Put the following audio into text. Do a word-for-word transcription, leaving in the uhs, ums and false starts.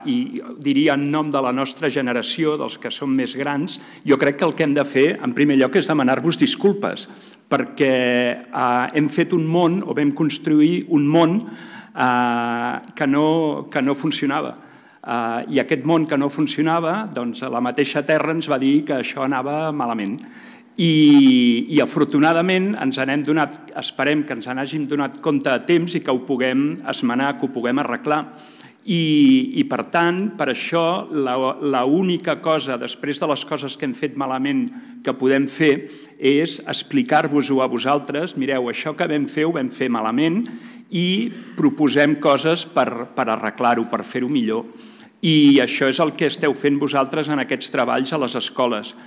i diria en nom de la nostra generació, dels que som més grans, jo crec que el que hem de fer, en primer lloc, és demanar-vos disculpes, perquè hem fet un món, o vam construir un món que no funcionava. I aquest món que no funcionava, doncs la mateixa Terra ens va dir que això anava malament. I afortunadament ens n'hem donat, esperem que ens n'hàgim donat compte a temps i que ho puguem esmenar, que ho puguem arreglar. I per tant, per això, l'única cosa, després de les coses que hem fet malament, que podem fer és explicar-vos-ho a vosaltres. Mireu, això que vam fer ho vam fer malament i proposem coses per arreglar-ho, per fer-ho millor. I això és el que esteu fent vosaltres en aquests treballs a les escoles.